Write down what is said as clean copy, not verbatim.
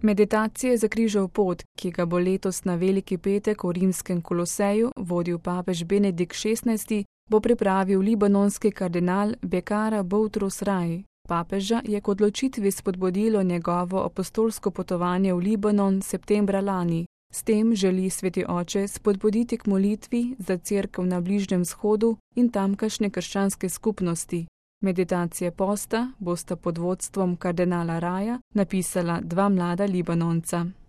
Meditacije za križev pot, ki ga bo letos na Veliki petek v rimskem Koloseju vodil papež Benedikt XVI, bo pripravil libanonski kardinal Bekara Boutros Rai. Papeža je k odločitvi spodbudilo njegovo apostolsko potovanje v Libanon septembra lani. S tem želi Sveti oče spodbuditi k molitvi za Cerkev na Bližnjem vzhodu in tamkajšnje krščanske skupnosti. Meditacije posta bosta pod vodstvom kardinala Raja napisala dva mlada Libanonca.